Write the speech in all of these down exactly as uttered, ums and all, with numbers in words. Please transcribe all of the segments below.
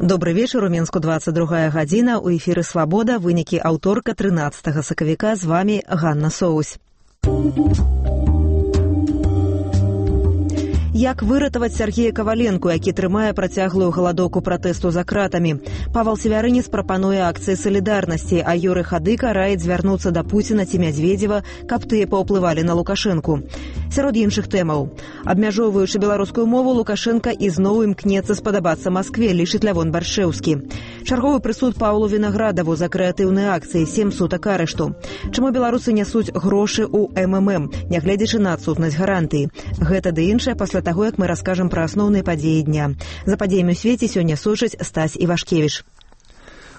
Добрый вечер, у Мінску двадцать другая гадзіна, у эфіры «Свабода», вынікі аўторка трынаццатага сакавіка, з вами Ганна Соусь. Як выратаваць Сергея Каваленку, які трымае працяглую галадоўку пратэсту за кратамі? Павал Севярынец прапануе акцыі салідарнасці, а Юрый Хадыка раіць звярнуцца да Пуціна ці Мядзведзева, каб тыя паўплывалі на Лукашэнку. Сярод іншых тэмаў. Абмяжоўваючы беларускую мову, Лукашенка ізноў імкнецца спадабацца Маскве, лічыць Лявон Баршэўскі. Чарговы прысуд Паўлу Вінаградаву за крэатыўныя акцыі, сем сутак арышту. Чаму беларусы нясуць грошы ў эм эм эм, нягледзячы на адсутнасць гарантыі? Гэта ды іншае пасля таго, як мы раскажам пра асноўныя падзеі дня. За падзеямі ў свеце сёння сочыць Стась Івашкевіч.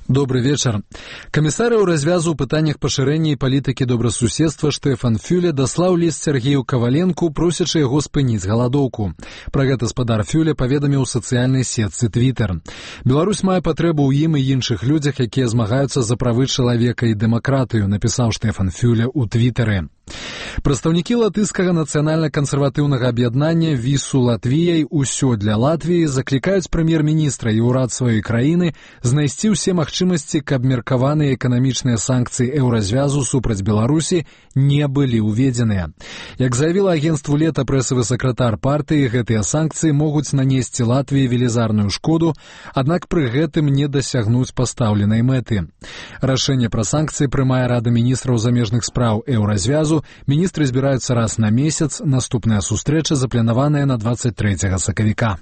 Добрый вечер. Камісары ў развязу ў пытаннях пашырэння і палітыкі добрасуседства Штефан Фюле даслаў ліст Сергею Каваленку, просячы яго спыніць галадоўку. Пра гэта спадар Фюле паведаміў у сацыяльнай сетцы Твиттер. Беларусь мае патрэбу ў ім і іншых людзях, якія змагаюцца за правы чалавека і дэмакратыю, напісаў Штефан Фюле ў Твиттере. Прадстаўнікі латыскага нацыянальна-кансерватыўнага аб'яднання «Вісу Латвіяй. Усё для Латвіі» заклікаюць прэм'ер-міністра і ўрад сваёй краіны знайсці ўсе магчымасці, каб меркаваныя эканамічныя санкцыі еўразвязу супраць Беларусі не былі ўведзеныя. Як заявіла агенцтву «Лета» прэсавы сакратар партыі, гэтыя санкцыі могуць нанесці Латвіі велізарную шкоду, аднак пры гэтым не дасягнуць пастаўленай мэты. Рашэнне пра санкцыі прымае Рада міністраў замежных спраў еўразвязу. Міністры збіраюцца раз на месяц, наступная сустрэча запланаваная на двадцать трэцяга сакавіка.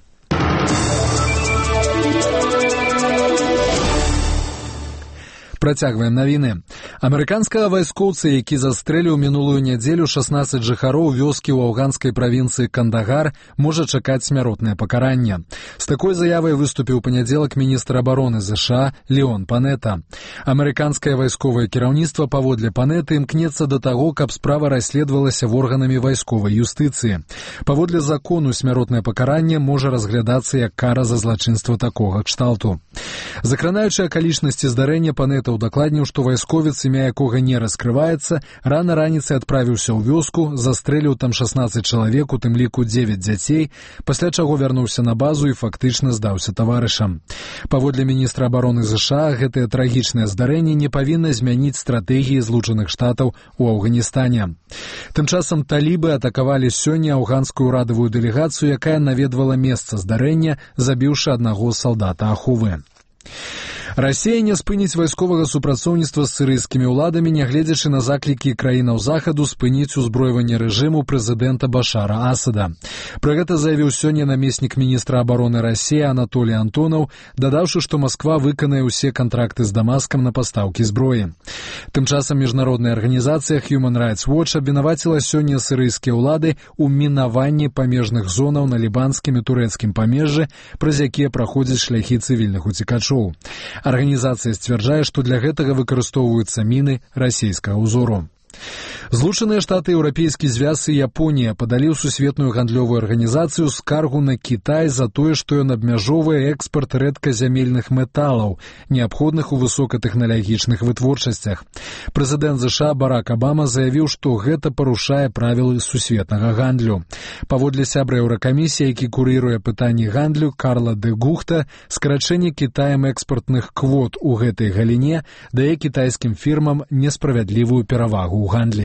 Працягваем навіны. Амерыканскага вайскоўца, які застрэліў мінулую нядзелю шаснаццаць жыхароў вёскі ў афганскай правінцыі Кандагар, можа чакаць смяротнае пакаранне. З такой заявай выступіў у панядзелак міністр абароны ЗША Леон Панета. Амерыканскае вайсковае кіраўніцтва паводле Панеты імкнецца да таго, каб справа расследавалася органамі вайсковай юстыцыі. Паводле закону смяротнае пакаранне можа разглядацца як кара за злачынства такога кшталту. Закранаючы акалічнасці здарэння, Панета удакладніў, што вайсковец, імя якога не раскрываецца, рана раніцай адправіўся ў вёску, застрэліў там шаснаццаць чалавек, у тым ліку дзевяць дзяцей, пасля чаго вярнуўся на базу і фактычна здаўся таварышам. Паводле міністра абароны ЗША, гэтае трагічнае здарэнне не павінна змяніць стратэгіі Злучаных Штатаў у Афганістане. Тым часам талібы атакавалі сёння афганскую ўрадавую дэлегацыю, якая наведвала месца здарэння, забіўшы аднаго салдата Ахувы. Расія не спыніць вайсковага супрацоўніцтва з сірыйскімі ўладамі, нягледзячы на заклікі краінаў захаду спыніць узброіванне рэжыму прэзідэнта Башара Асада. Пра гэта заявіў сёння намеснік міністра абароны Расіі Анатолій Антонаў, дадаўшы, што Масква выканае ўсе кантракты з Дамаскам на пастаўкі зброі. Тым часам міжнародная арганізацыя Human Rights Watch абвінаваціла сёння сірыйскія ўлады ў мінаванні памежных зонаў на лібанскім і турэцкім памежжы, праз якія праходзяць шляхі цывільных уцекачоў. Арганізацыя сцвярджае, што для гэтага выкарыстоўваюцца міны расійскага ўзору. Злучаныя Штаты, Еўрапейскі звяз і Японія падалі ў сусветную гандлёвую арганізацыю скаргу на Кітай за тое, што ён абмяжоўвае экспарт рэдказямельных металаў, неабходных у высокатэхналагічных вытворчасцях. Прэзідэнт ЗША Барак Абама заявіў, што гэта парушае правілы сусветнага гандлю. Паводле сябра Еўракамісіі, які курыруе пытанні гандлю Карла де Гухта, скарачэнне Кітаем экспартных квот у гэтай галіне дае кітайскім фірмам несправядлівую перавагу ў гандлі.